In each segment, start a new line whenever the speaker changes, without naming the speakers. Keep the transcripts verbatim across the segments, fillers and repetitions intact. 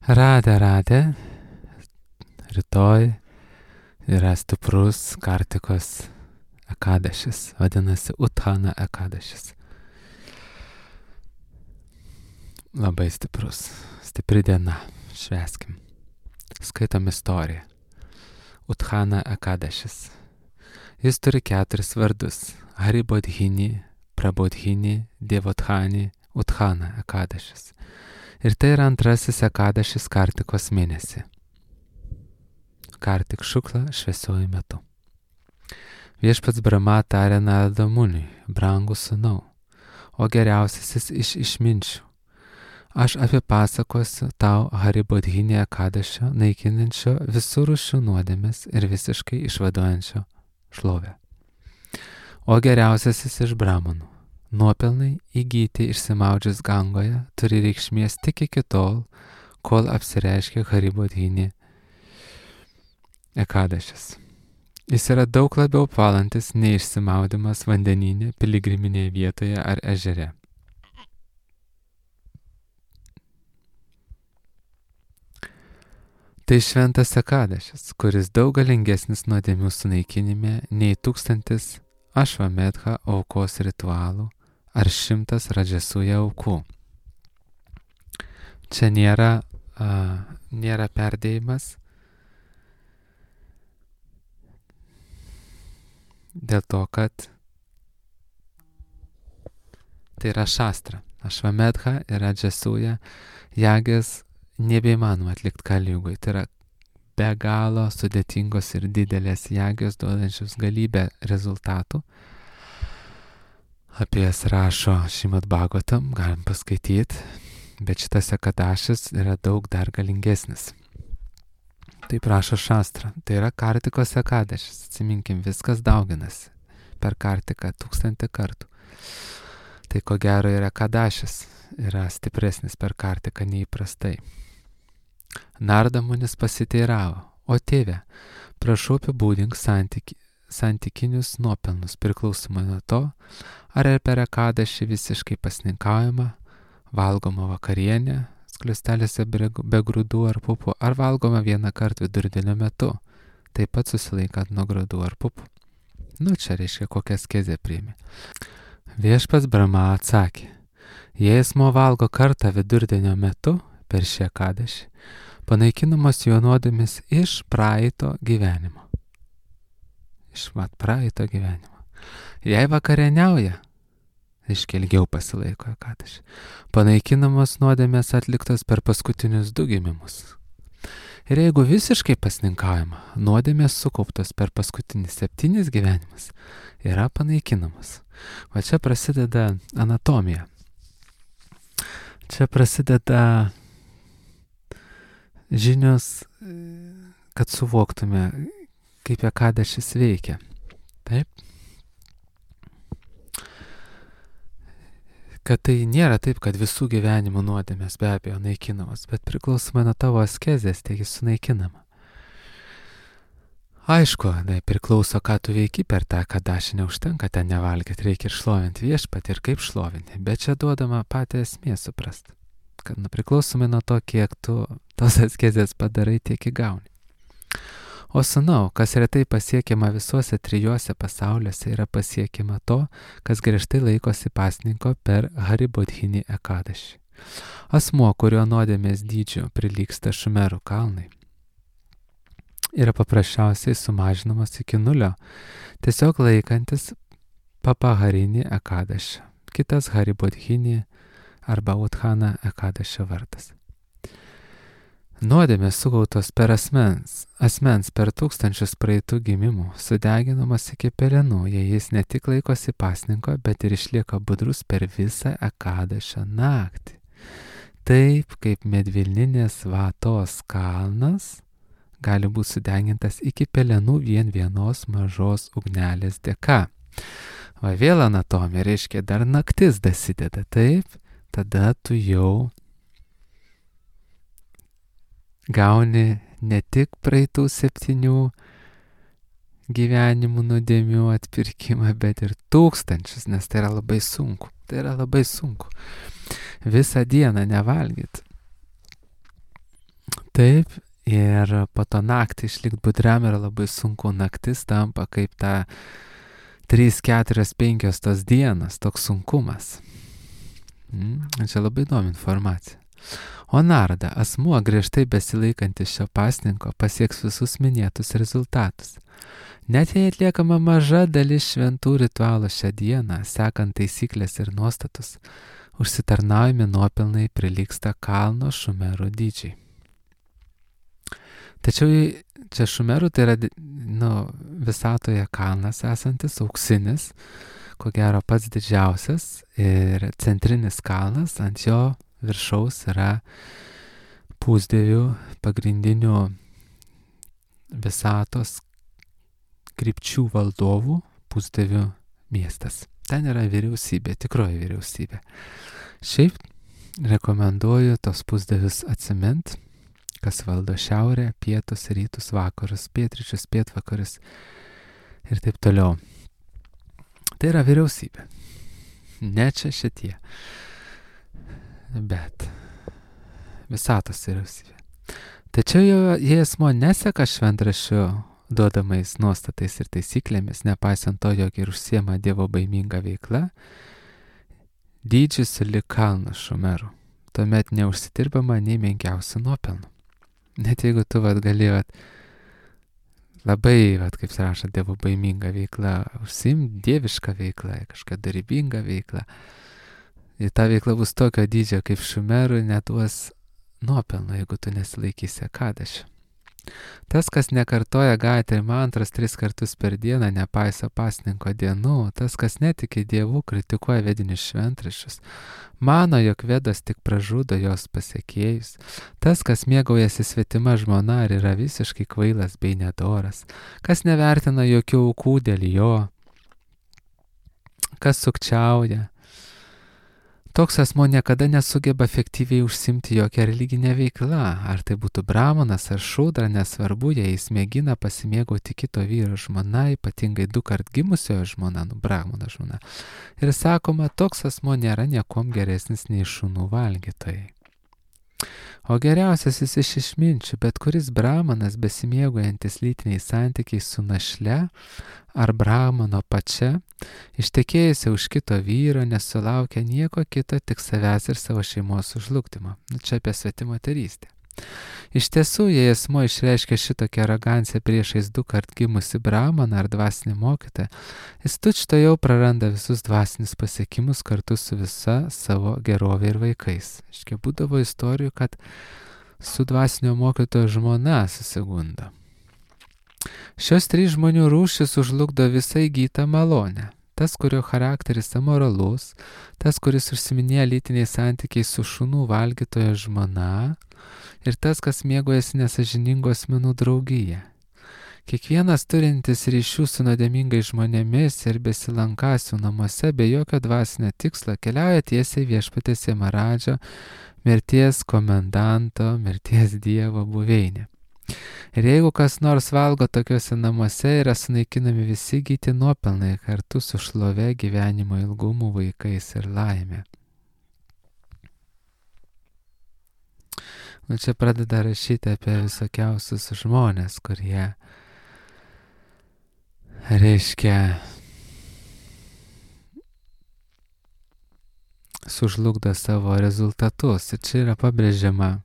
Radę, radę. Rytoj yra stiprus Kartikos Ekadešis, vadinasi Uthana Ekadešis. Labai stiprus, stipri diena, švęskim. Skaitom istoriją. Uthana Ekadešis. Jis turi keturis vardus. Haribodhini, Prabodhini, Devothani, Uthana Ekadešis. Ir tai yra antrasis Ekadešis Kartikos mėnesį. Kartik šukla šviesioji metu. Viešpats Brahma tarė Narada Muniui, brangus sūnau, o geriausiasis iš išminčių. Aš apipasakosiu tau Haribodhini Ekadešio naikinančio visų rūšių nuodėmes ir visiškai išvaduojančio šlovę. O geriausiasis iš Brahmanų. Nuopelnai įgyti išsimaudžius Gangoje turi reikšmės tik iki tol, kol apsireiškia Haribodhini Ekadešis. Jis yra daug labiau apvalantis nei išsimaudimas vandenyne, piligriminėje vietoje ar ežere. Tai šventas Ekadešis, kuris daug galingesnis nuodėmių sunaikinime nei tūkstantis Ašvamedha aukos ritualų ar šimtas Radžasuja aukų. Čia nėra, a, nėra perdėjimas, dėl to, kad tai yra šastra. Ašvamedha ir Radžasuja jagės nebeįmanoma atlikti Kaligui. Tai yra be galo sudėtingos ir didelės jagės duodančios galybę rezultatų. Apie jas rašo Šrimad Bhagavatam, galim paskaityti, bet šitas Ekadešis yra daug dar galingesnis. Taip rašo šastra. Tai yra Kartikos Ekadešis. Atsiminkim, viskas dauginasi per Kartiką tūkstantį kartų. Tai ko gero yra Ekadešis, yra stipresnis per Kartiką neįprastai. Narada Munis pasiteiravo, o tėve, prašau apibūdink santyki, santykinius nuopelnus priklausomai nuo to, ar ir per Ekadešį visiškai pasninkaujama, valgoma vakarienė, skliustelėse be grūdų ar pupų, ar valgoma vieną kartą vidurdienio metu, taip pat susilaikant nuo grūdų ar pupų. Nu, čia reiškia, kokią askezę priėmė. Viešpats Brahma atsakė, jei asmuo valgo kartą vidurdienio metu per šį Ekadešį, panaikinamos jo nuodėmės iš praeito gyvenimo. Iš mat praeito gyvenimo. Jei vakarieniauja, reiškia ilgiau pasilaiko Ekadešį, panaikinamos nuodėmės atliktos per paskutinius du gimimus. Ir jeigu visiškai pasninkaujama, nuodėmės sukauptos per paskutinis septynis gyvenimus yra panaikinamos. O čia prasideda anatomija. Čia prasideda žinios, kad suvoktume, kaip Ekadešis veikia. Taip? Kad tai nėra taip, kad visų gyvenimų nuodėmės be abejo naikinamos, bet priklausomai nuo tavo askezės, taigi sunaikinama. Aišku, tai priklauso, ką tu veiki per tą Ekadešį, neužtenka ten nevalgyti, reikia ir šlovinti viešpatį ir kaip šlovinti, bet čia duodama patį esmė suprast, kad nu, priklausomai nuo to, kiek tu tos askezės padarai, tiek įgauni. O sūnau, kas retai pasiekiama visuose trijuose pasauliuose, yra pasiekiama to, kas griežtai laikosi pasninko per Haribodhini Ekadešį. Asmuo, kurio nuodėmės dydžio prilygsta Šumerų kalnai, yra paprasčiausiai sumažinamas iki nulio, tiesiog laikantis Papaharini Ekadešio, kitas Haribodhini arba Uthana Ekadešio vardas. Nuodėmės sugautos per asmens, asmens per tūkstančius praeitų gimimų, sudeginamas iki pelenų, jei jis ne tik laikosi pasninko, bet ir išlieka budrus per visą Ekadešio naktį. Taip kaip medvilninės vatos kalnas gali būti sudegintas iki pelenų vien vienos mažos ugnelės dėka. Va vėl anatomija, reiškia, dar naktis dasideda, taip, tada tu jau gauni ne tik praeitų septynių gyvenimų nuodėmių atpirkimą, bet ir tūkstančius, nes tai yra labai sunku. Tai yra labai sunku. Visą dieną nevalgyti. Taip, ir po to naktį išlikti budriam yra labai sunku, naktis tampa kaip ta trys, keturios, penkios tos dienos, toks sunkumas. Mm, čia labai įdomi informacija. O narda, asmuo griežtai besilaikantis šio pasninko pasieks visus minėtus rezultatus. Net jei atliekama maža dalis šventų ritualų šią dieną, sekant taisyklės ir nuostatus, užsitarnaujami nuopelnai prilygsta kalno Šumerų dydžiai. Tačiau čia Šumerų tai yra nu, visatoje kalnas esantis, auksinis, ko gero pats didžiausias ir centrinis kalnas, ant jo viršaus yra pusdievių pagrindinių visatos krypčių valdovų pusdievių miestas. Ten yra vyriausybė, tikroji vyriausybė. Šiaip rekomenduoju tos pusdievius atsimint, kas valdo šiaurę, pietus, rytus, vakarus, pietryčius, pietvakarius ir taip toliau. Tai yra vyriausybė. Ne čia šitie. Bet visatos vyriausybė. Tačiau jei asmo neseka šventraščių duodamais nuostatais ir taisyklėmis, nepaisant to, jog ir užsiema dievo baiminga veikla, dydžius lyg kalnas Šumerų. Tuomet neužsidirbama nei menkiausių nuopelnų. Net jeigu tu vat, gali vat, labai, vat, kaip rašo, dievo baiminga veikla, užsiimti dievišką veiklą, kažką darybingą veiklą, ir ta veikla bus tokio dydžio kaip Šumerų, neduos nuopelno, jeigu tu nesilaikysi Ekadešio. Tas, kas nekartoja Gayatri mantros tris kartus per dieną, nepaiso pasninko dienų, tas, kas netiki dievų, kritikuoja vedinius šventraščius, mano, jog vedas tik pražudo jos pasiekėjus, tas, kas mėgaujasi svetima žmona ir yra visiškai kvailas bei nedoras, kas nevertina jokių aukų dėl jo, kas sukčiauja, toks asmo niekada nesugeba efektyviai užsimti jokią religinę veiklą, ar tai būtų brahmanas ar šudra, nesvarbu, jei jis mėgina pasimėgauti kito vyro žmona, ypatingai du kart gimusiojo žmona, nu brahmano žmona. Ir sakoma, toks asmo nėra niekom geresnis nei šunų valgytojai. O geriausias jis iš išminčių, bet kuris brahmanas besimėgaujantis lytiniais santykiais su našle ar brahmano pačia, ištekėjusi už kito vyro, nesulaukia nieko kito, tik savęs ir savo šeimos sužlugdymo. Nu, čia apie svetimoterystę. Iš tiesų, jei asmo išreiškia šitokią aroganciją priešais du kart gimusi brahmaną ar dvasinį mokytoją, jis tučto jau praranda visus dvasinius pasiekimus kartu su visa savo gerovė ir vaikais. Iškia, būdavo istorijų, kad su dvasinio mokytojo žmona susigundo. Šios trys žmonių rūšis užlugdo visą įgytą malonę. Tas, kurio charakteris amoralus, tas, kuris užsiminėja lytiniais santykiais su šunų valgytojo žmona, ir tas, kas mėgaujasi nesažiningų asmenų draugyje. Kiekvienas turintis ryšių su nuodėmingais žmonėmis ir besilankasių namuose be jokio dvasinio tikslo keliauja tiesiai viešpatės Jamaradžo, mirties komendanto, mirties dievo buveinė. Ir jeigu kas nors valgo tokiuose namuose, yra sunaikinami visi gyti nuopelnai kartu su šlove, gyvenimo ilgumu, vaikais ir laimė. Nu, čia pradeda rašyti apie visokiausius žmonės, kurie, reiškia, sužlugdo savo rezultatus. Ir čia yra pabrėžiama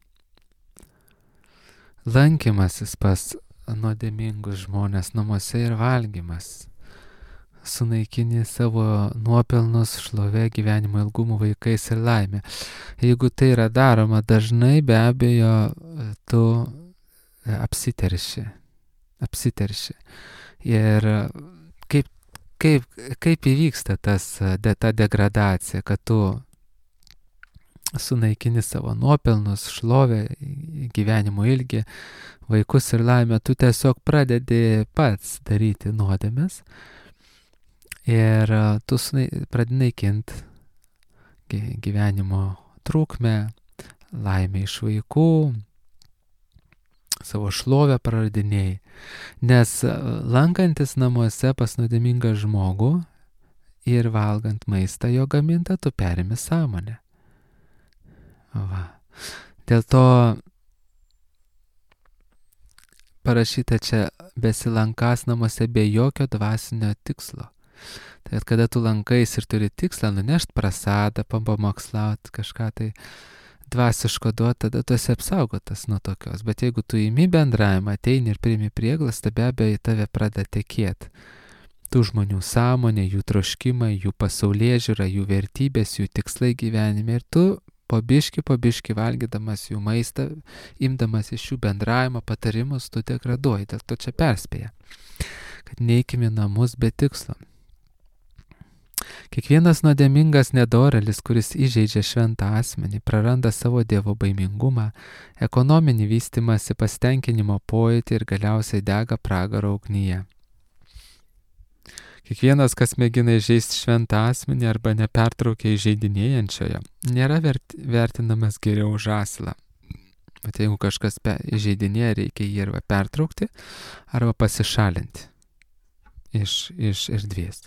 lankymasis pas nuodėmingus žmonės namuose ir valgymas. Sunaikini savo nuopelnus, šlovė, gyvenimo ilgumų, vaikais ir laimė. Jeigu tai yra daroma dažnai, be abejo, tu apsiterši. Apsiterši. Ir kaip, kaip, kaip įvyksta tas, de, ta degradacija, kad tu sunaikini savo nuopelnus, šlovę, gyvenimo ilgį, vaikus ir laimę, tu tiesiog pradedi pats daryti nuodėmes. Ir tu pradedi naikinti gyvenimo trukmę, laimę iš vaikų, savo šlovę praradinėjai. Nes lankantis namuose pas nuodėmingą žmogų ir valgant maistą jo gamintą, tu perimi sąmonę. Va. Dėl to parašyta čia besilankas namuose be jokio dvasinio tikslo. Tai kada tu lankais ir turi tikslą nunešti prasadą, pamokslauti kažką tai dvasiško duoti, tada tu esi apsaugotas nuo tokios. Bet jeigu tu įimi bendravimą, ateini ir priimi prieglastą, be abejo į tave pradeda tekėti tų žmonių sąmonė, jų troškimai, jų pasaulėžiūra, jų vertybės, jų tikslai gyvenime. Ir tu po biški, po biški valgydamas jų maistą, imdamas iš jų bendravimo patarimus, tu degraduoji. Dėl to čia perspėja, kad neikime namus be tikslo. Kiekvienas nuodėmingas nedorelis, kuris įžeidžia šventą asmenį, praranda savo dievo baimingumą, ekonominį vystimąsi, pasitenkinimo pojūtį ir galiausiai dega pragaro ugnyje. Kiekvienas, kas mėgina įžeisti šventą asmenį arba nepertraukia įžeidinėjančiojo, nėra vert, vertinamas geriau už asilą. Bet jeigu kažkas įžeidinėja, reikia jį arba pertraukti, arba pasišalinti iš, iš erdvės.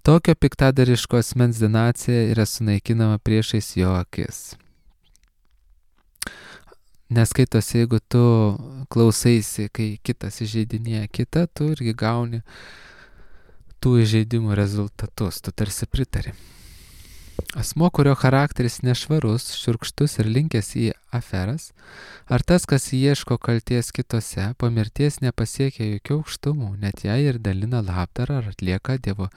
Tokio piktadariško asmens dinacija yra sunaikinama priešais jo akis. Neskaitosi, jeigu tu klausaisi, kai kitas įžeidinėja kitą, tu irgi gauni tų įžeidimų rezultatus, tu tarsi pritari. Asmuo, kurio charakteris nešvarus, šiurkštus ir linkęs į aferas, ar tas, kas ieško kalties kitose, po mirties nepasiekia jokių aukštumų, net jei ir dalina labdarą ar atlieka dievo,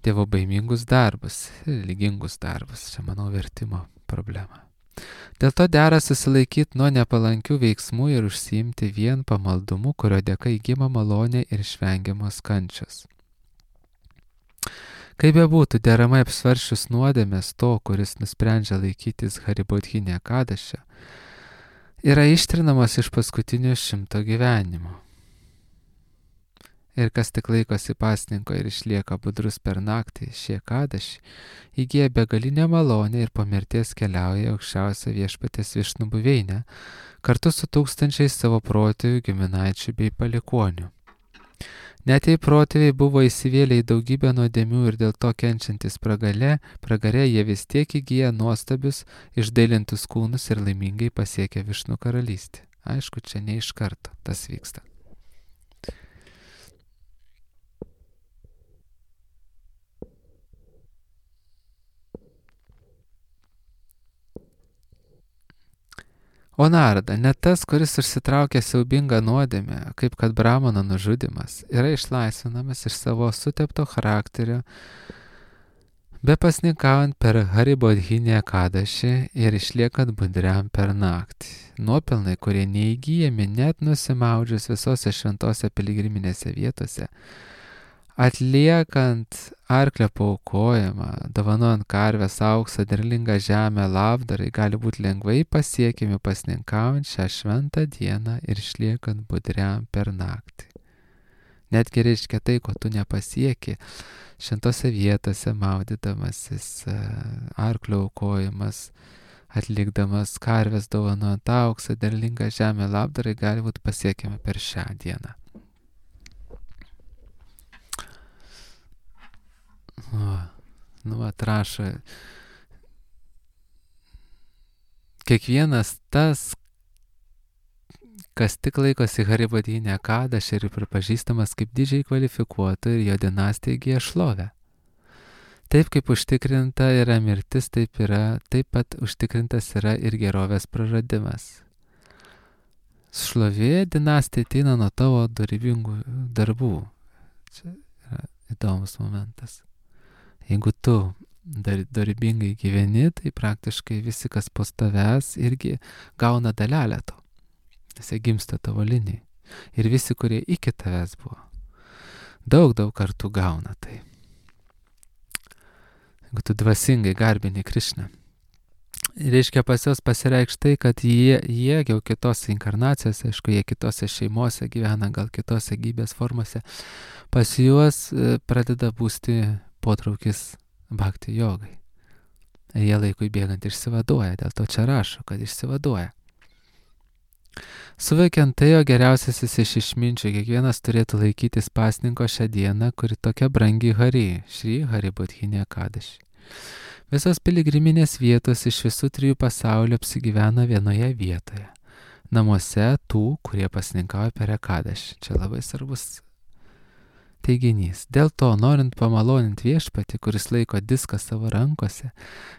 dievo baimingus darbus, lygingus darbus. Čia, manau, vertimo problema. Dėl to dera susilaikyti nuo nepalankių veiksmų ir užsiimti vien pamaldumu, kurio dėka įgyma malonė ir išvengiamos kančios. Kaip bebūtų, deramai apsvaršius nuodėmės to, kuris nusprendžia laikytis Haribodhinė Kadašio, yra ištrinamos iš paskutinio šimto gyvenimo. Ir kas tik laikosi pasninko ir išlieka budrus per naktį, šie Kadašį, įgyja begalinę malonę ir po mirties keliauja aukščiausią viešpaties Višnų buveinę, kartu su tūkstančiais savo protėvių, giminaičių bei palikuonių. Net jei protėviai buvo įsivėlę į daugybę nuodėmių ir dėl to kenčiantis pragare, pragare jie vis tiek įgyja nuostabius, išdailintus kūnus ir laimingai pasiekia Višnų karalystę. Aišku, čia ne iš karto tas vyksta. O Narada, net tas, kuris užsitraukia siaubingą nuodėmę, kaip kad Brahmano nužudymas, yra išlaisvinamas iš savo sutepto charakterio, be pasninkaujant per Haribodhinę Kadašį ir išliekant budriam per naktį. Nuopelnai, kurie neįgyjami net nusimaudžius visose šventose piligriminėse vietose, atliekant arklio paaukojimą, dovanojant karvės auksą, derlingą žemę, labdarai, gali būti lengvai pasiekiami pasninkaujant šią šventą dieną ir išliekant budriam per naktį. Netgi reiškia tai, ko tu nepasieki šventose vietose, maudydamasis, arklio aukojimas, atlikdamas karvės, dovanojant auksą, derlingą žemę, labdarai, gali būti pasiekiami per šią dieną. O, nu, atrašo, kiekvienas tas, kas tik laikosi Haribodhinę Kadašį ir pripažįstamas kaip didžiai kvalifikuotų ir jo dinastija įgyja šlovę. Taip kaip užtikrinta yra mirtis, taip, yra, taip pat užtikrintas yra ir gerovės praradimas. Šlovė dinastija ateina nuo tavo dorybingų darbų. Čia yra įdomus momentas. Jeigu tu dar, dorybingai gyveni, tai praktiškai visi, kas po tavęs, irgi gauna dalelę to. Nes jie gimsta tavo linijai. Ir visi, kurie iki tavęs buvo, daug, daug kartų gauna tai. Jeigu tu dvasingai garbini Krišną. Reiškia, pas juos pasireikš tai, kad jie, jie jau kitose inkarnacijose, aišku, jie kitose šeimose gyvena, gal kitose gyvybės formose, pas juos pradeda būsti potraukis bhakti jogai. Jie laikui bėgant išsivaduoja, dėl to čia rašo, kad išsivaduoja. Suvokiant tai, jo geriausiasis iš išminčių, kiekvienas turėtų laikytis pasninko šią dieną, kuri tokia brangi Hari, Šri Haribodhinė Kadašį. Visos piligriminės vietos iš visų trijų pasaulio apsigyvena vienoje vietoje. namuose tų, kurie pasninkauja per Ekadašį. Čia labai svarbus teiginys. Dėl to, norint pamaloninti viešpatį, kuris laiko diską savo rankose,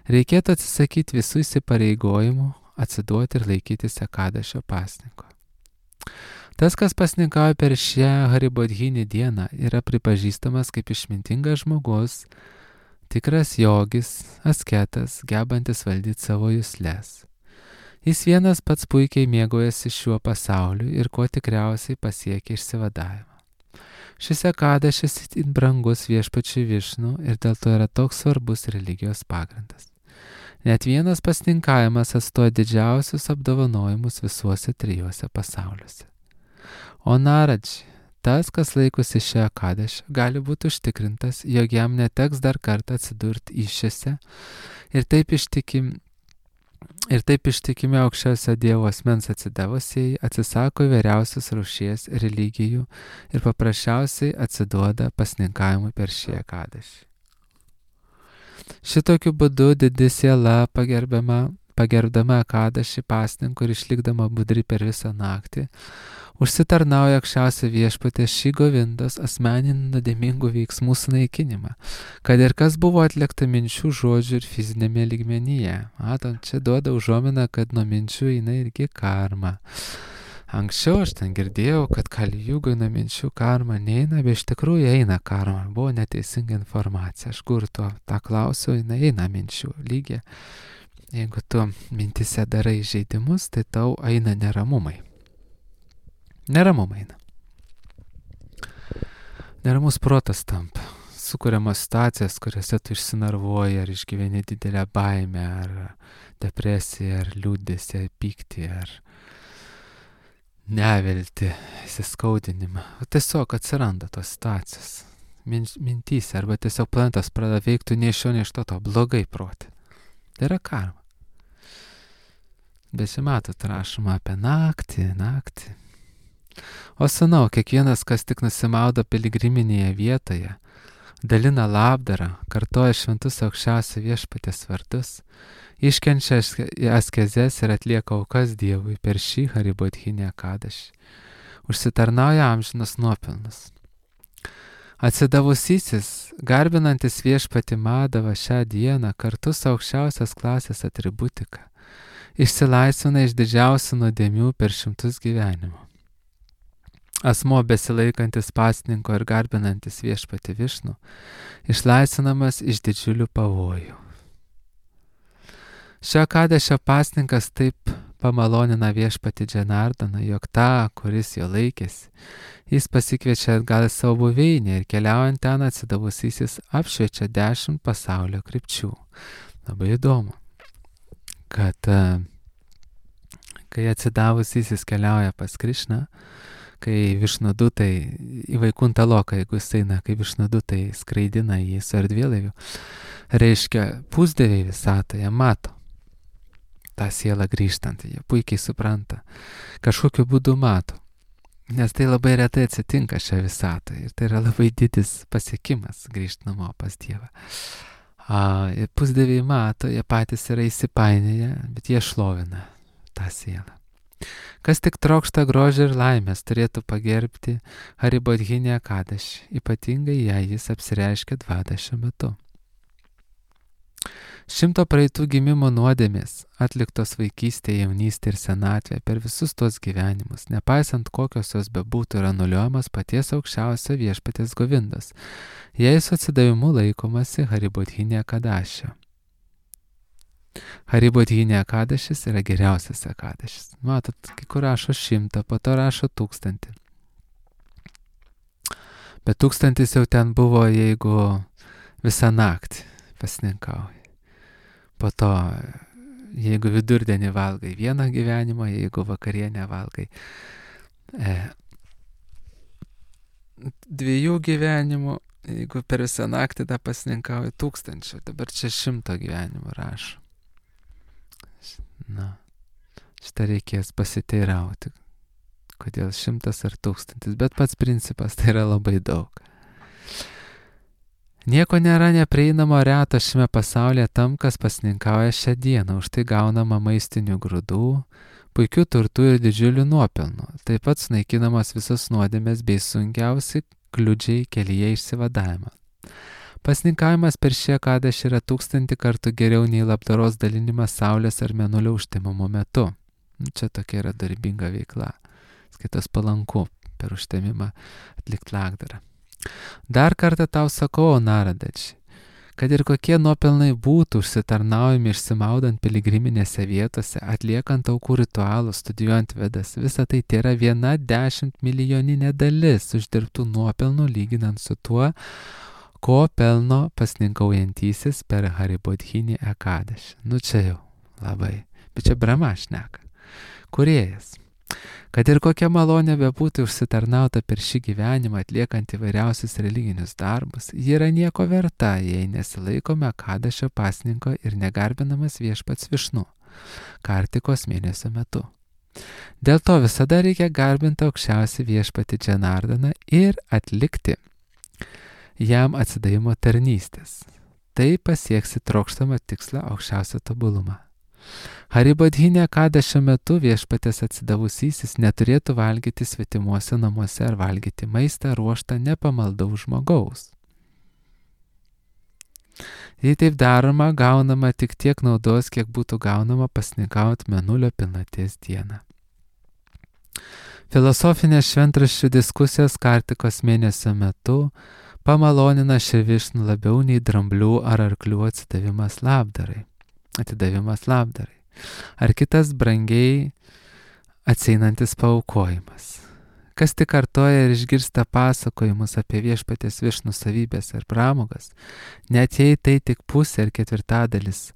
reikėtų atsisakyti visų įsipareigojimų, atsiduoti ir laikytis Ekadašio pasninko. Tas, kas pasninkauja per šią Haribodhinį dieną, yra pripažįstamas kaip išmintingas žmogus, tikras jogis, asketas, gebantis valdyti savo jusles. Jis vienas pats puikiai mėgaujasi šiuo pasauliu ir kuo tikriausiai pasiekia išsivadavimą. Šis Ekadašis itin brangus viešpačiui Višnu ir dėl to yra toks svarbus religijos pagrindas. Net vienas pasninkavimas atstoja didžiausius apdovanojimus visuose trijuose pasauliuose. O Naradži, tas, kas laikosi šią Ekadašį, gali būti užtikrintas, jog jam neteks dar kartą atsidurti įšiose ir taip ištikimi, ir taip ištikimi aukščiausio Dievo asmens atsidavusieji atsisako įvairiausios rūšies religijų ir paprasčiausiai atsiduoda pasninkavimui per šį Ekadašį. Šitokiu būdu didi siela pagerbiama, pagerbdama Ekadašį pasninku ir išlikdama budri per visą naktį, užsitarnauja aukščiausio viešpaties šį Govindos asmeninį nuodėmingų veiksmų sunaikinimą, kad ir kas buvo atlikta minčių, žodžių ir fizinėme lygmenyje. Matom, čia duoda užuominą, kad nuo minčių eina irgi karma. Anksčiau aš ten girdėjau, kad Kalijugoj nuo minčių karma neina, bet iš tikrųjų eina karma. Buvo neteisinga informacija. Aš kur tuo tą klausiau, eina, eina minčių lygiai. Jeigu tu mintise darai žaidimus, tai tau eina neramumai. Neramumai eina. Neramus protas tampa. Sukuriamos situacijas, kuriuose tu išsinarvuoji, ar išgyveni didelę baimę, ar depresiją, ar liūdesį, ar pyktį, ar neviltį, įsiskaudinimą. Tiesiog atsiranda tos situacijos mintyse, arba tiesiog planetas pradeda veikti ne iš šio, ne iš to, to blogai proti. Tai yra karma. Bet čia matot, rašoma apie naktį, naktį. O sūnau, kiekvienas, kas tik nusimaudo piligriminėje vietoje, dalina labdarą, kartoja šventus aukščiausio viešpaties vardus, iškenčia askezes ir atlieka aukas Dievui per šį Haribodhinį Ekadašį, užsitarnauja amžinus nuopelnus. Atsidavusysis, garbinantis viešpatį Madavą šią dieną kartu su aukščiausios klasės atributika, išsilaisvina iš didžiausių nuodėmių per šimtus gyvenimų. Asmuo besilaikantis pasninko ir garbinantis viešpatį Višnu, išlaisvinamas iš didžiulių pavojų. Šio Ekadašio pasninkas taip pamalonina viešpatį Džanardaną, jog tą, kuris jo laikėsi, jis pasikviečia atgal į savo buveinę ir keliaujant ten atsidavusysis apšviečia dešimt pasaulio krypčių. Labai įdomu, kad kai atsidavusysis keliauja pas Krišną, kai Višnudutai į Vaikuntą Loką, jeigu jis eina, kai Višnudutai skraidina jį su erdvėlaiviu, reiškia, pusdieviai visatoje mato tą sielą grįžtant, jie puikiai supranta, kažkokiu būdu mato, nes tai labai retai atsitinka šią visatą ir tai yra labai didis pasiekimas grįžti namo pas Dievą. A, pusdieviai mato, jie patys yra įsipainėję, bet jie šlovina tą sielą. Kas tik trokšta grožio ir laimės, turėtų pagerbti Haribodhinį Ekadašį, ypatingai jei jis apsireiškia dvadašio metu. Šimto praeitų gimimo nuodėmės, atliktos vaikystėje, jaunystėje ir senatvėje per visus tos gyvenimus, nepaisant kokios jos bebūtų, yra nuliuojamas paties aukščiausio viešpaties Govindos, jei su atsidavimu laikomasi Haribodhinį Ekadašio. Haribodhinį Ekadašis yra geriausias Ekadašis. Matot, kai kur rašo šimtą, po to rašo tūkstantį. Bet tūkstantis jau ten buvo, jeigu visą naktį pasninkauji. Po to, jeigu vidurdienį valgai vieną gyvenimą, jeigu vakarienę valgai e, dviejų gyvenimų, jeigu per visą naktį tą pasninkauji tūkstančių. Dabar čia šimto gyvenimų rašo. Na, šitą reikės pasiteirauti, kodėl šimtas ar tūkstantis, bet pats principas tai yra labai daug. Nieko nėra neprieinamo reto šiame pasaulyje tam, kas pasninkauja šią dieną, už tai gaunama maistinių grūdų, puikių turtų ir didžiulių nuopelnų. Taip pat sunaikinamos visos nuodėmės bei sunkiausi kliudžiai kelyje išsivadavimą. Pasninkavimas per šį Ekadešį yra tūkstantį kartų geriau nei labdaros dalinimas saulės ar mėnulio užtemimo metu. Čia tokia yra darbinga veikla. Skaitas palanku per užtemimą atlikti labdarą. Dar kartą tau sakau, Naradeči, kad ir kokie nuopelnai būtų užsitarnaujami išsimaudant piligriminėse vietose, atliekant aukų ritualus, studijuojant vedas, visa tai yra viena dešimt milijoninė dalis uždirbtų nuopelnų lyginant su tuo, ko pelno pasninkaujantysis per Haribodhinį Ekadešį. Nu čia jau labai, bet čia Brahma šneka, kūrėjas. Kad ir kokia malonė bebūtų užsitarnauta per šį gyvenimą atliekant įvairiausius religinius darbus, ji yra nieko verta, jei nesilaikome Ekadešio pasninko ir negarbinamas viešpats Višnu Kartikos mėnesio metu. Dėl to visada reikia garbinti aukščiausią viešpatį Džanardaną ir atlikti jam atsidavimo tarnystės. Tai pasieksi trokštamą tikslą aukščiausią tobulumą. Haribodhinė Ekadešio metu viešpatės atsidavusysis neturėtų valgyti svetimuose namuose ar valgyti maistą ruoštą nepamaldaus žmogaus. Jei taip daroma, gaunama tik tiek naudos, kiek būtų gaunama pasninkaujant mėnulio pilnaties dieną. Filosofinės šventraščių diskusijos Kartikos mėnesio metu pamalonina šį Višnų labiau nei dramblių ar arklių atsidavimas labdarai. Atidavimas labdarai. Ar kitas brangiai atseinantis paaukojimas. Kas tik kartoja ir išgirsta pasakojimus apie viešpatės Višnų savybės ar pramogas, net jei tai tik pusė ar ketvirtadalis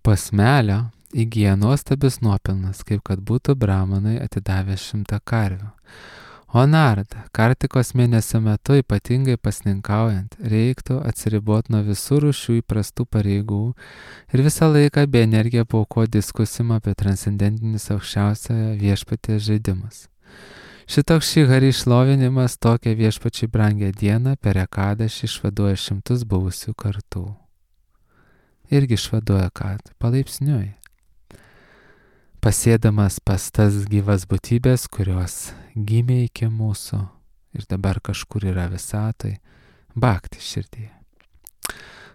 posmelio, įgyja nuostabius nuopelnus, kaip kad būtų brahmanai atidavę šimtą karvių. O Narada, Kartikos mėnesio metu ypatingai pasninkaujant, reiktų atsiriboti nuo visų rūšių įprastų pareigų ir visą laiką bei energiją paaukoti diskusimą apie transcendentinius aukščiausiojo viešpaties žaidimus. Šitoks šį Hari šlovinimas tokią viešpačiai brangią dieną per Ekadešį išvaduoja šimtus buvusių kartų. Irgi išvaduoja kad palaipsniui. Pasėdamas pas tas gyvas būtybės, kurios gimė iki mūsų ir dabar kažkur yra visatoj, bhakti širdyje.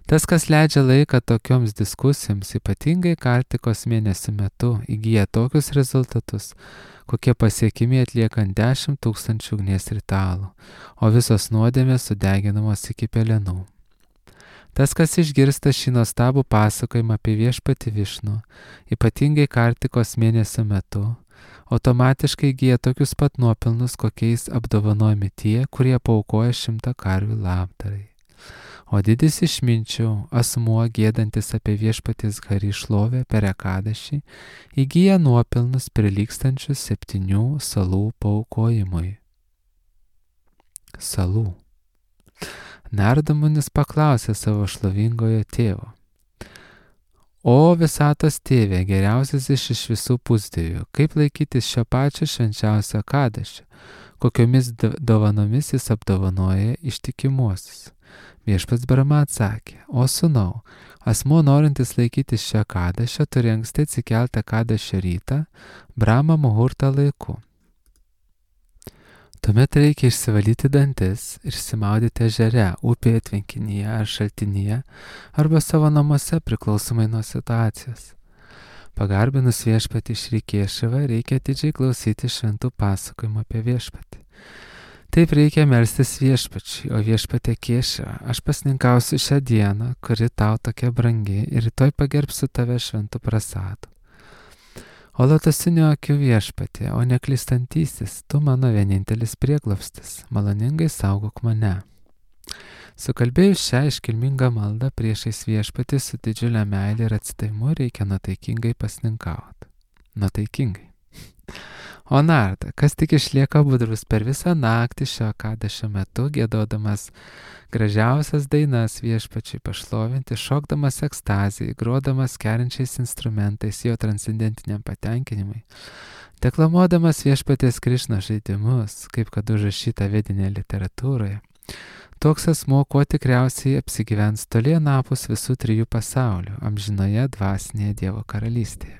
Tas, kas leidžia laiką tokioms diskusijoms, ypatingai Kartikos mėnesio metu, įgyja tokius rezultatus, kokie pasiekimi atliekant dešimt tūkstančių ugnies ritualų, o visos nuodėmės sudeginamos iki pelenų. Tas, kas išgirsta šį nuostabų pasakojimą apie viešpatį Višnų, ypatingai Kartikos mėnesio metu, automatiškai įgyja tokius pat nuopelnus, kokiais apdovanojami tie, kurie paaukoja šimtą karvių labdarai. O didis išminčių, asmuo gėdantis apie viešpatės Hari šlovę per Ekadešį, įgyja nuopelnus prilygstančius septynių salų paaukojimui. Salų. Narada Munis paklausė savo šlovingojo tėvo: O visatos tėve, geriausias iš iš visų pusdievių, kaip laikytis šio pačio švenčiausio Ekadešio, kokiomis dovanomis jis apdovanoja ištikimuosius? Viešpats Brahma atsakė: O sūnau, asmuo norintis laikytis šio Ekadešio turi anksti atsikelti Ekadešio rytą, Brahma muhurta laiku. Tuomet reikia išsivalyti dantis ir išsimaudyti ežere, upėje, tvenkinyje ar šaltinyje arba savo namuose priklausomai nuo situacijos. Pagarbinus viešpatį Šri Kešavą reikia atidžiai klausyti šventų pasakojimų apie viešpatį. Taip reikia melstis viešpačiui, o viešpatė Kešava, aš pasninkausiu šią dieną, kuri tau tokia brangi, ir rytoj pagerbsiu tave šventų prasadu. O lotusinių akių viešpatė, o neklystantysis, tu mano vienintelis prieglobstis, maloningai saugok mane. Sukalbėjus šią iškilmingą maldą priešais viešpatį su didžiulė meilė ir atsidavimu reikia nuotaikingai pasninkauti. Nuotaikingai. O Narada, kas tik išlieka budrus per visą naktį šio Ekadešio metu, giedodamas gražiausias dainas viešpačiui pašlovinti, šokdamas ekstazijai, grodamas kerinčiais instrumentais jo transcendentiniam patenkinimui, deklamuodamas viešpatės Krišno žaidimus, kaip kad užrašyta vedinėje literatūroje, toks asmuo kuo tikriausiai apsigyvens toli anapus visų trijų pasaulių, amžinoje dvasinėje Dievo karalystėje.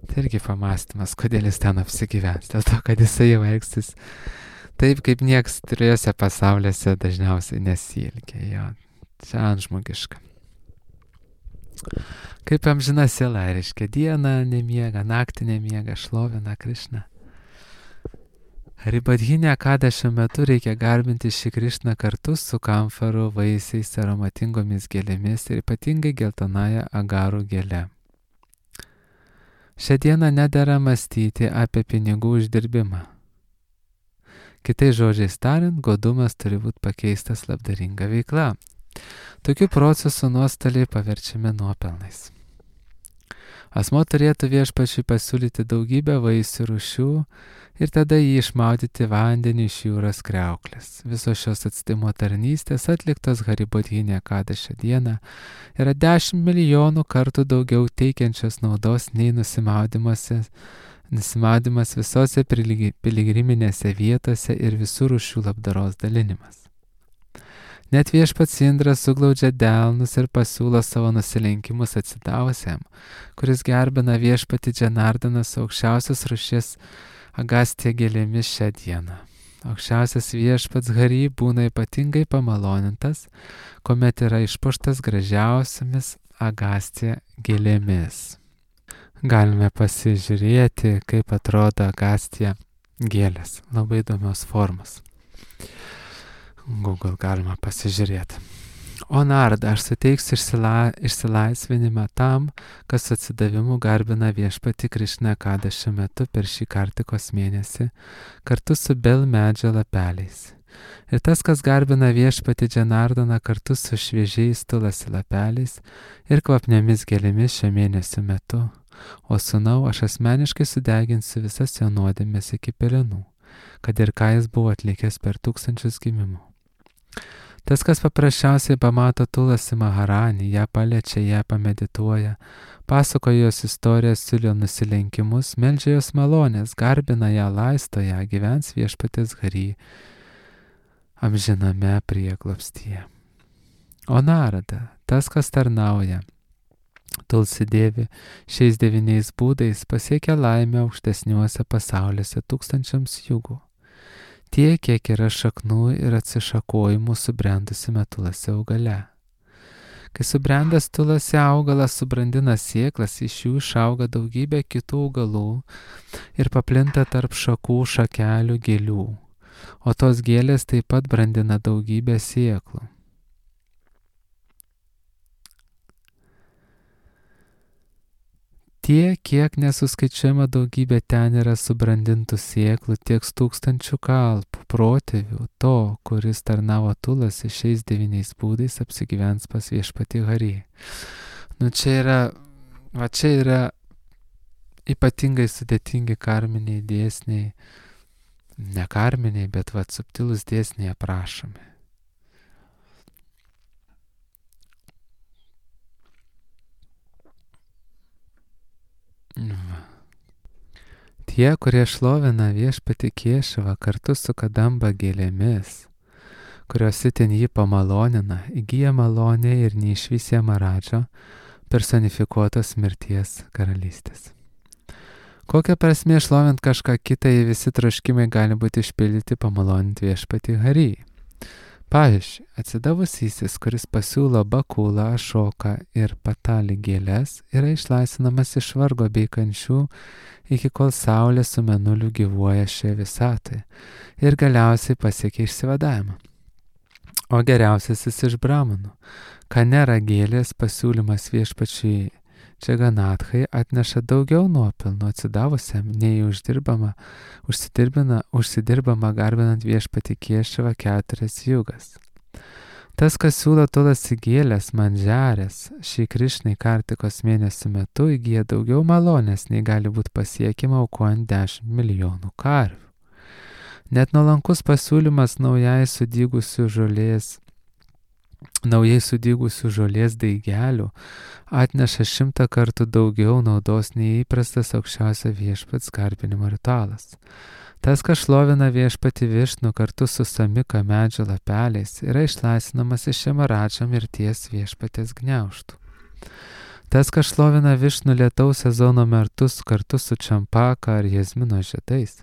Tai irgi pamastymas, kodėl jis ten apsigyvens. Dėl to, kad jisai jau elgsis taip, kaip nieks trijose pasauliuose dažniausiai nesielgia. Jo, čia antžmogiška. Kaip amžina siela, reiškia, dieną nemiega, naktį nemiega, šlovina Krišną. Ribadhinė Kadešio metu reikia garbinti šį Krišną kartu su kamfarų, vaisiais, aromatingomis gėlėmis ir ypatingai geltonąją agarų gėlę. Šią dieną nedera mąstyti apie pinigų uždirbimą. Kitais žodžiais tariant, godumas turi būti pakeistas labdaringa veikla. Tokių procesų nuostoliai paverčiami nuopelnais. Asmo turėtų viešpačiui pasiūlyti daugybę vaisių rūšių ir tada jį išmaudyti vandenį iš jūros kriauklės. Visos šios atstimo tarnystės atliktos Haribodhinė Kadešio dieną yra dešimt milijonų kartų daugiau teikiančios naudos nei nusimaudimas visose piligriminėse vietose ir visų rūšių labdaros dalinimas. Net viešpats Indras suglaudžia delnus ir pasiūlo savo nusilenkimus atsidavusiam, kuris gerbina viešpatį Džanardaną su aukščiausios rūšies agastija gėlėmis šią dieną. Aukščiausias viešpats Hari būna ypatingai pamalonintas, kuomet yra išpuoštas gražiausiamis agastija gėlėmis. Galime pasižiūrėti, kaip atrodo agastija gėlės. Labai įdomios formos. Google galima pasižiūrėti. O Narda, aš suteiksiu išsila, išsilaisvinimą tam, kas atsidavimu garbina viešpatį Krišną Kadešio metu per šį kartikos mėnesį, kartu su bel medžio lapeliais. Ir tas, kas garbina viešpatį Džanardaną kartu su šviežiais tulasi lapeliais ir kvapniomis gėlėmis šio mėnesio metu. O sūnau, aš asmeniškai sudeginsiu visas jo nuodėmes iki pelenų, kad ir ką jis buvo atlikęs per tūkstančius gimimų. Tas, kas paprasčiausiai pamato Tulasi Maharanį, ją paliečia, ją pamedituoja, pasakoja jos istoriją, siūlo nusilenkimus, meldžia jos malonės, garbina ją, laisto ją, gyvens viešpatės Hari amžiname prieglobstyje. O Narada, tas, kas tarnauja Tulsi Dėvi šiais devyniais būdais, pasiekia laimę aukštesniuose pasauliuose tūkstančiams jugų. Tiek, kiek yra šaknų ir atsišakojimų subrendusime tulasi augale. Kai subrendęs tulasi augalas subrandina sėklas, iš jų išauga daugybė kitų augalų ir paplinta tarp šakų, šakelių, gėlių, o tos gėlės taip pat brandina daugybę sėklų. Tiek, kiek nesuskaičiuojama daugybė ten yra subrandintų sėklų, tiek tūkstančių kalpų, protėvių, to, kuris tarnavo Tulasi šiais devyniais būdais apsigyvens pas viešpatį Hari. Nu čia yra, va čia yra ypatingai sudėtingi karminiai dėsniai, ne karminiai, bet va subtilūs dėsniai aprašomi. Tie, kurie šlovina viešpatį Kešavą kartu su kadamba gėlėmis, kurios itin jį pamalonina, įgyja malonę ir neišvysė Maradžo personifikuotos mirties karalystės. Kokia prasmė šlovint kažką kitą, jei visi troškimai gali būti išpildyti pamalonint viešpatį Hari? Pavyzdžiui, atsidavusysis, kuris pasiūlo bakulą, ašoką ir patalį gėlės, yra išlaisvinamas iš vargo bei kančių, iki kol saulė su mėnuliu gyvuoja šioje visatoje ir galiausiai pasiekia išsivadavimą. O geriausiasis iš bramanų, kanera gėlės pasiūlymas viešpačiui Džaganatkai atneša daugiau nuopelnų atsidavusiam, nei uždirbama, užsidirbama garbinant viešpatį Kešavą keturias jugas. Tas, kas siūlo tulasi gėlės, mandžiarės, šį Krišnai kartikos mėnesio metu įgyja daugiau malonės, nei gali būti pasiekima aukojant dešimt milijonų karvių. Net nuolankus pasiūlymas naujai sudygusių žolės, naujai sudygusių žolės daigelių atneša šimtą kartų daugiau naudos nei įprastas aukščiausio viešpats garbinimo ritualas. Tas, kas šlovina viešpatį Višnu kartu su samika medžio lapeliais, yra išlaisvinamas iš Maradžo mirties viešpatės gniaužtų. Tas, kas šlovina Višnų lietaus sezono metus kartu su čampaka ar jazmino žiedais,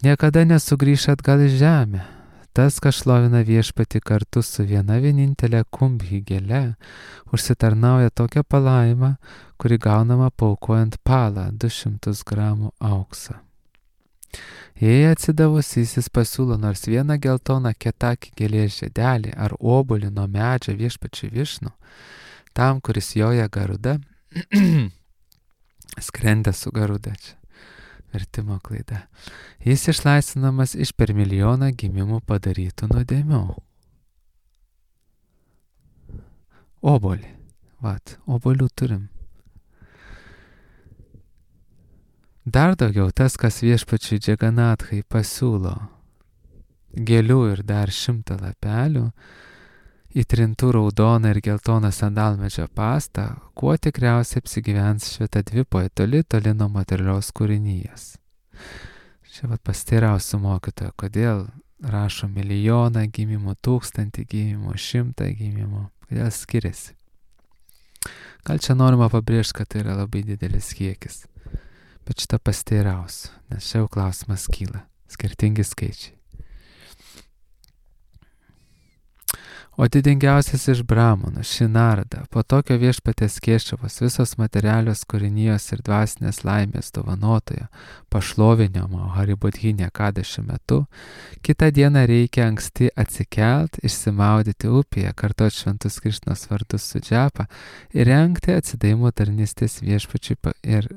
niekada nesugrįš atgal į žemę. Tas, kas šlovina Viešpatį kartu su viena vienintelė kumbhi gėle, užsitarnauja tokią palaimą, kuri gaunama paaukojant palą du šimtus gramų aukso. Jei atsidavusysis pasiūlo nors vieną geltoną ketakį gėlės žiedelį ar obuolį nuo medžio Viešpačiui Višnų, tam, kuris joja garuda, skrendė su garuda čia, vertimo klaida, jis išlaisvinamas iš per milijoną gimimų padarytų nuodėmių. Obuolį, vat, obuolių turim. Dar daugiau tas, kas Viešpačiui Džaganathai pasiūlo gėlių ir dar šimtą lapelių, įtrintų raudoną ir geltoną sandalmedžio pastą, kuo tikriausiai apsigyvens švietadvipoje toli toli nuo materialios kūrinijos. Čia vat pasiteirausiu mokytojo, kodėl rašo milijoną gimimų, tūkstantį gimimų, šimtą gimimų, kodėl skiriasi. Gal čia norima pabrėžti, kad tai yra labai didelis kiekis, bet šitą pasiteirausiu, nes čia jau klausimas kyla, skirtingi skaičiai. O didingiausias iš Brahmanų, Šinarada, po tokio Viešpaties Kešavos visos materialios kūrinijos ir dvasinės laimės dovanotojo pašlovinimo Haribodhinė Kadešio metu, kitą dieną reikia anksti atsikelt, išsimaudyti upėje, kartuoti šventus Krišnos vardus su džapa ir rengti atsidavimo tarnystės Viešpačiui ir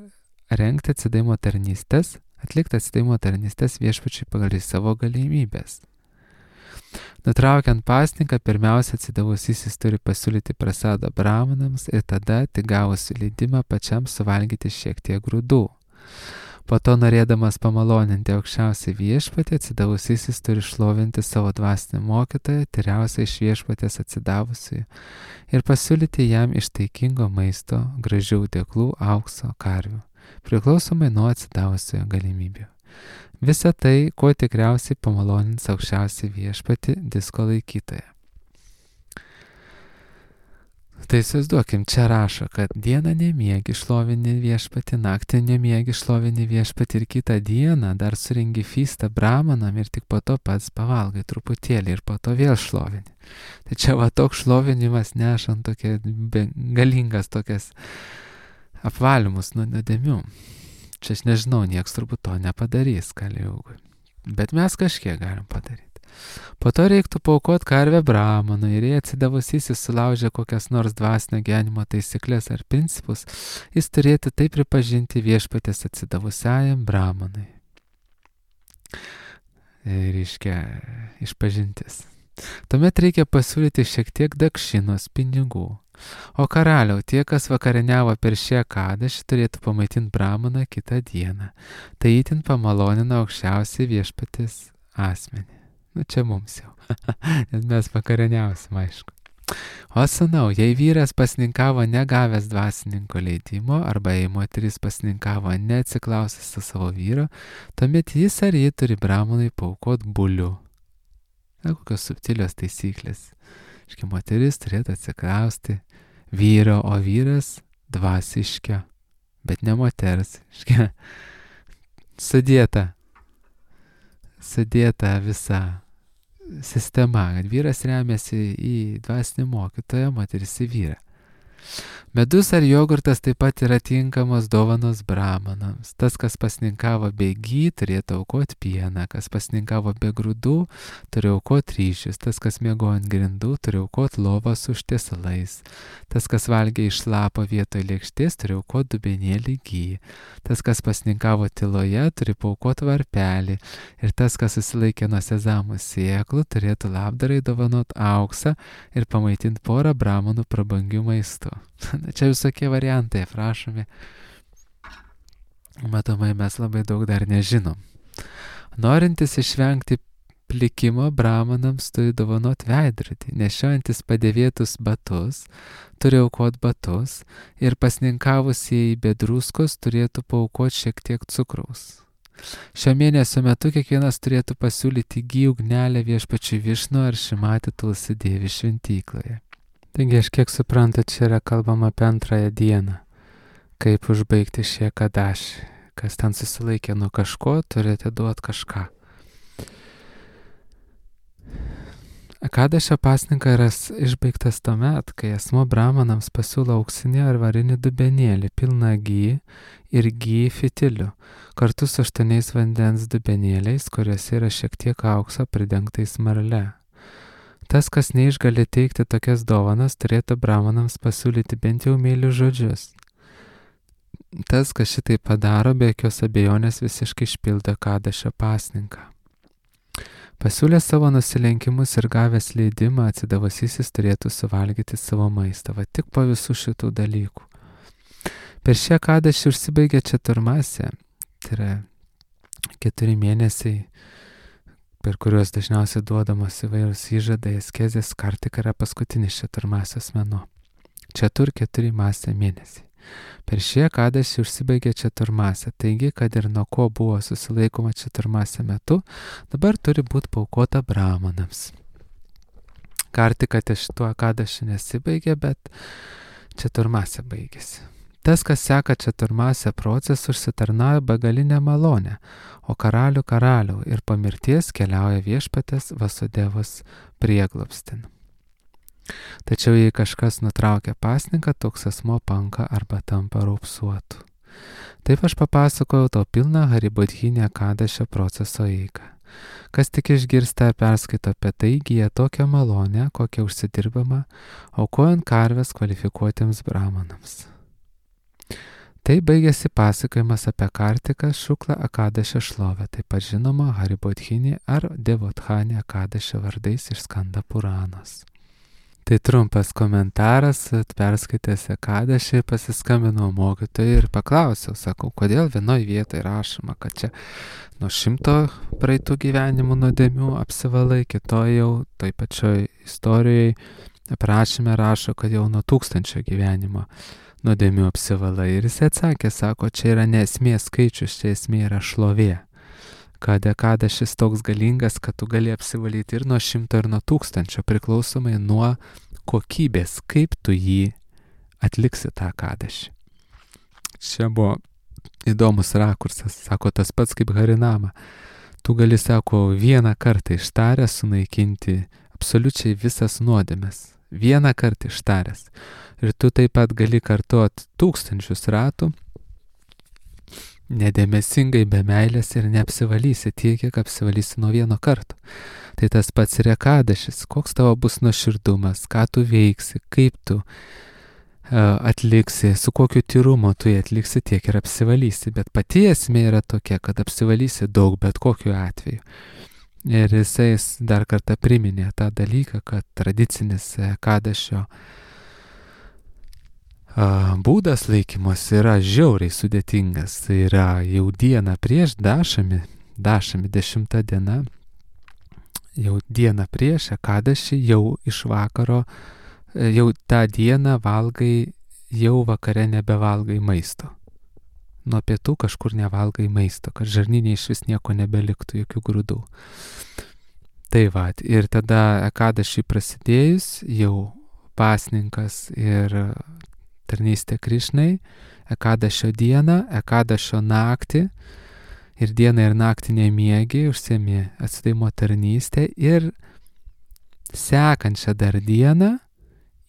rengti atsidavimo tarnystės, atlikti atsidavimo tarnystės Viešpačiui pagal savo galimybės. Nutraukiant pasninką, pirmiausia atsidavusysis turi pasiūlyti prasadą brahmanams ir tada, tik gavusi leidimą, pačiam suvalgyti šiek tiek grūdų. Po to, norėdamas pamaloninti aukščiausią Viešpatį, atsidavusysis turi šlovinti savo dvasinį mokytoją, tyriausią iš Viešpatės atsidavusiųjų, ir pasiūlyti jam iš taikingo maisto, gražių dėklų, aukso, karvių, priklausomai nuo atsidavusiojo galimybių. Visa tai, kuo tikriausiai pamalonins aukščiausią Viešpatį disko laikytoją. Tai įsivaizduokim, čia rašo, kad dieną nemiegi šlovini Viešpatį, naktį nemiegi šlovini Viešpatį ir kitą dieną dar surengi fystą brahmanam ir tik po to pats pavalgai truputėlį ir po to vėl šlovini. Tai čia va toks šlovinimas nešant tokia galingas tokias apvalymus nuo nuodėmių. Čia aš nežinau, nieks turbūt to nepadarys Kaliugui. Bet mes kažkiek galim padaryti. Po to reiktų paaukoti karvę brahmanui ir jei atsidavusysis sulaužė kokias nors dvasinio gyvenimo taisyklės ar principus, jis turėtų tai pripažinti Viešpatės atsidavusiajam brahmanui. Reiškia išpažintis. Tuomet reikia pasiūlyti šiek tiek dakšinos pinigų. O karaliau, tie, kas vakarieniavo per šią kadešį, turėtų pamaitinti brahmaną kitą dieną. Tai itin pamalonina aukščiausiai Viešpatės asmenį. Nu čia mums jau, nes mes vakarieniausim, aišku. O sūnau, jei vyras pasninkavo negavęs dvasininko leidimo, arba jei moteris pasninkavo neatsiklausęs su savo vyro, tuomet jis ar ji turi brahmanui paaukoti bulių. Na, kokios subtilios taisyklės. Iškia, moteris turėtų atsiklausti vyro, o vyras dvasiškio, bet ne moters. Iškia, sudėta, sudėta visa sistema, kad vyras remiasi į dvasinį mokytoją, moteris į vyrą. Medus ar jogurtas taip pat yra tinkamos dovanos brahmanams. Tas, kas pasninkavo be gy, turėtų aukoti pieną, kas pasninkavo be grūdų, turi aukoti ryžius, tas, kas miegojo ant grindų, turi aukoti lovą su užtiesalais, tas, kas valgė iš lapo vietoj lėkštės, turi aukoti dubenėlį gy, tas, kas pasninkavo tyloje, turi paaukoti varpelį ir tas, kas susilaikė nuo sezamų sėklų, turėtų labdarai dovanot auksą ir pamaitinti porą brahmanų prabangių maistų. Čia visokie variantai aprašomi. Matomai mes labai daug dar nežinom. Norintis išvengti plikimo, brahmanams turi dovanot veidrodį, nešiojantis padėvėtus batus, turi aukoti batus ir pasninkavusieji be druskos turėtų paaukoti šiek tiek cukraus. Šio mėnesio metu kiekvienas turėtų pasiūlyti gy ugnelę Viešpačiui Višnu ar Šimatį Tulsi Dievi šventykloje. Taigi aš kiek suprantu, čia yra kalbama apie antrąją dieną, kaip užbaigti šį kadašį. Kas ten susilaikė nuo kažko, turite duoti kažką. Akadašio pasninkas yra išbaigtas tuomet, kai asmo brahmanams pasiūlo auksinį ar varinį dubenėlį pilną gy ir gy fitilių, kartu su aštuoniais vandens dubenėliais, kuriuose yra šiek tiek aukso pridengtais marle. Tas, kas neišgali teikti tokias dovanas, turėtų brahmanams pasiūlyti bent jau meilius žodžius. Tas, kas šitai padaro, be jokios abejonės visiškai išpildo Akadašio pasninką. Pasiūlęs savo nusilenkimus ir gavęs leidimą, atsidavasysis turėtų suvalgyti savo maistą, va tik po visų šitų dalykų. Per šį Akadašį užsibaigė četurmasė, tai yra keturi mėnesiai, per kuriuos dažniausiai duodamas įvairūs įžadai, askezės, kartika yra paskutinis četurmasės mėnuo. Četur keturi masė mėnesiai. Per šį Akadašį užsibaigė četurmasė, taigi, kad ir nuo ko buvo susilaikoma četurmasė metu, dabar turi būti paaukota brahmanams. Kartika ties šituo Akadašį nesibaigė, bet četurmasė baigėsi. Tas, kas seka četurmasę procesą, užsitarnauja begalinę malonę, o karalių karalių ir po mirties keliauja viešpatės Vasudevos prieglobstin. Tačiau jei kažkas nutraukia pasninką, toks asmo panka arba tampa raupsuotu. Taip aš papasakojau tau pilną Haribodhinį Akadašio proceso eigą. Kas tik išgirsta ir perskaito apie tai, įgyja tokią malonę, kokią užsidirbama, aukojant karves kvalifikuotiems brahmanams. Tai baigėsi pasakojimas apie Kartiką Šuklą Akadašio šlovę, taip pat žinoma Haribodhinį ar Devothanį Akadašio vardais iš Skanda Puranos. Tai trumpas komentaras, perskaitęs Akadašį, pasiskambinau mokytojui ir paklausiau, sakau, kodėl vienoje vietoje rašoma, kad čia nuo šimto praeitų gyvenimų nuodėmių apsivalai, kitoje jau toj pačioj istorijoje aprašyme rašo, kad jau nuo tūkstančio gyvenimo nuodėmių apsivalai. Ir jis atsakė, sako, čia yra ne esmė skaičius, čia esmė yra šlovė. Kad Akadašis toks galingas, kad tu gali apsivalyti ir nuo šimto ir nuo tūkstančio, priklausomai nuo kokybės, kaip tu jį atliksi tą Akadašį. Čia buvo įdomus rakursas, sako, tas pats kaip Harinama. Tu gali, sako, vieną kartą ištaręs sunaikinti absoliučiai visas nuodėmes. Vieną kartą ištaręs. Ir tu taip pat gali kartuoti tūkstančius ratų, nedėmesingai, be meilės ir neapsivalysi tiek, kiek apsivalysi nuo vieno karto. Tai tas pats ir Akadašis, koks tavo bus nuoširdumas, ką tu veiksi, kaip tu uh, atliksi, su kokiu tyrumu tu jį atliksi, tiek ir apsivalysi. Bet pati esmė yra tokia, kad apsivalysi daug, bet kokiu atveju. Ir jisai dar kartą priminė tą dalyką, kad tradicinis Akadašio būdas laikymos yra žiauriai sudėtingas. Tai yra jau dieną prieš dašami, dašami dešimta diena, jau dieną prieš Akadašį, jau iš vakaro, jau tą dieną valgai, jau vakare nebevalgai maisto. Nuo pietų kažkur nevalgai maisto, kad žarnyne iš vis nieko nebeliktų, jokių grūdų. Tai va, ir tada Akadašį prasidėjus, jau pasninkas ir tarnystė Krišnai, Akadašio dieną, Akadašio naktį ir dieną ir naktį nemiegi, užsiemi atsidavimo tarnystę ir sekančią dar dieną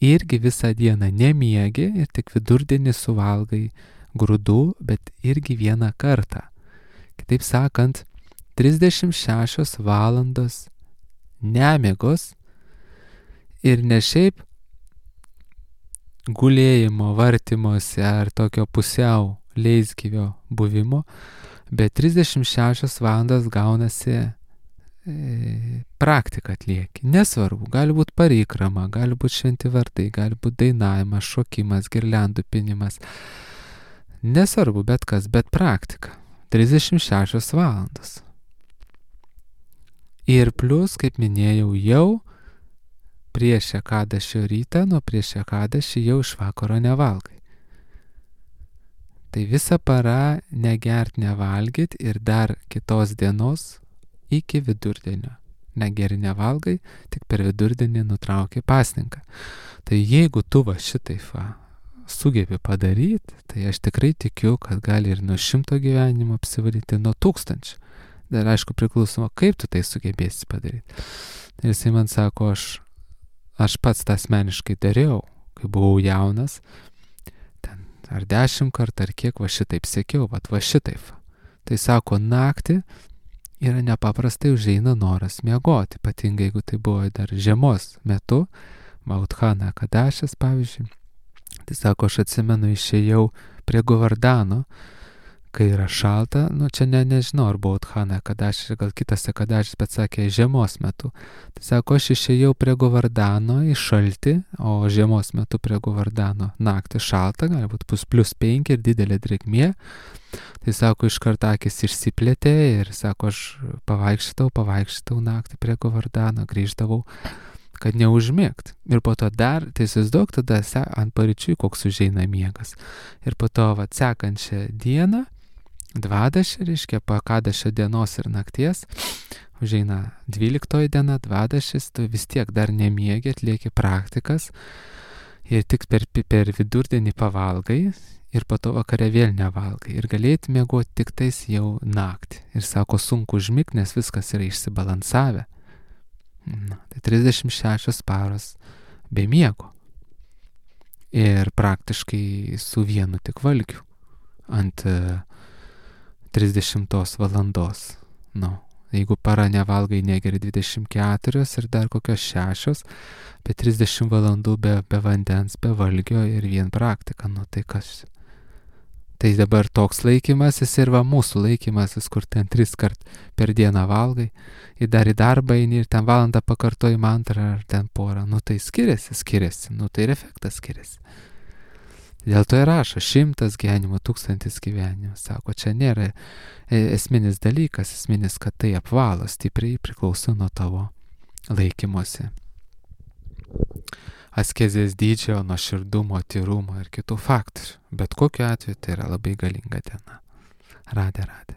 irgi visą dieną nemiegi ir tik vidurdienį suvalgai grūdų, bet irgi vieną kartą. Kitaip sakant, trisdešimt šešios valandos nemiegos ir ne šiaip gulėjimo, vartymosi ar tokio pusiau leisgyvio buvimo, bet trisdešimt šešios valandas gaunasi e, praktika atlieki. Nesvarbu, gali būti parikrama, gali būti šventi vardai, gali būti dainavimas, šokimas, girliandų pinimas. Nesvarbu, bet kas, bet praktika. trisdešimt šešios valandos. Ir plus, kaip minėjau, jau prieš Akadašio rytą, nuo prieš Akadašį jau iš vakaro nevalgai. Tai visą parą negert, nevalgyt ir dar kitos dienos iki vidurdienio. negeri, nevalgai, tik per vidurdienį nutrauki pasninką. Tai jeigu tu va šitaip va, sugebi padaryti, tai aš tikrai tikiu, kad gali ir nuo šimto gyvenimo apsivalyti, nuo tūkstančių. Dar aišku priklausoma, kaip tu tai sugebėsi padaryti. Ir jisai man sako, aš, aš pats tą asmeniškai dariau, kai buvau jaunas, ten ar dešimt kartų, ar kiek va šitaip sekiau, va, va šitaip. Tai sako, naktį yra nepaprastai užeina noras miegoti, ypatingai jeigu tai buvo dar žiemos metu, Maudhana Kadašas pavyzdžiui. Tai sako, aš atsimenu, išėjau prie Govardano, kai yra šalta, nu čia ne, nežinau, ar buvo Maudhana Kadašas, gal kitas Kadašas, bet sakė, žiemos metu. Tai sako, aš išėjau prie Govardano į šaltį, o žiemos metu prie Govardano naktį šalta, galbūt bus plus penki ir didelė drėgmė. Tai sako, iš karto akis išsiplėtė ir sako, aš pavaikščiau, pavaikščiau naktį prie Govardano, grįždavau, kad neužmėgt. Ir po to dar, tai įsivaizduok, tada ant paryčių koks užeina miegas. Ir po to va, sekančią dieną, dvadašį, reiškia, po kadašio dienos ir nakties, užeina dvyliktoji diena, dvadašis, tu vis tiek dar nemiegi, atlieki praktikas ir tik per, per vidurdienį pavalgai ir po to vakare vėl nevalgai. Ir galėti miegoti tik tais jau naktį. Ir sako, sunku užmigti, nes viskas yra išsibalansavę. Na, tai trisdešimt šešios paros be miego. Ir praktiškai su vienu tik valgiu ant trisdešimtos valandos. Nu, jeigu para nevalgai, negeri dvidešimt keturios ir dar kokios šešios, apie trisdešimt valandų be, be vandens, be valgio ir vien praktika. Nu, tai kas? Tai dabar toks laikymasis ir va mūsų laikymasis, kur ten tris kart per dieną valgai, ir dar į darbą eini ir ten valandą pakartoji mantrą ar ten porą. Nu tai skiriasi, skiriasi, nu tai ir efektas skiriasi. Dėl to ir rašo šimtas gyvenimo, tūkstantis gyvenimo. Sako, čia nėra esminis dalykas, esminis, kad tai apvalo, stipriai priklauso nuo tavo laikymosi. Askezės dydžio, nuoširdumo, tyrumo ir kitų faktorių. Bet kokiu atveju tai yra labai galinga diena. Radė, radė.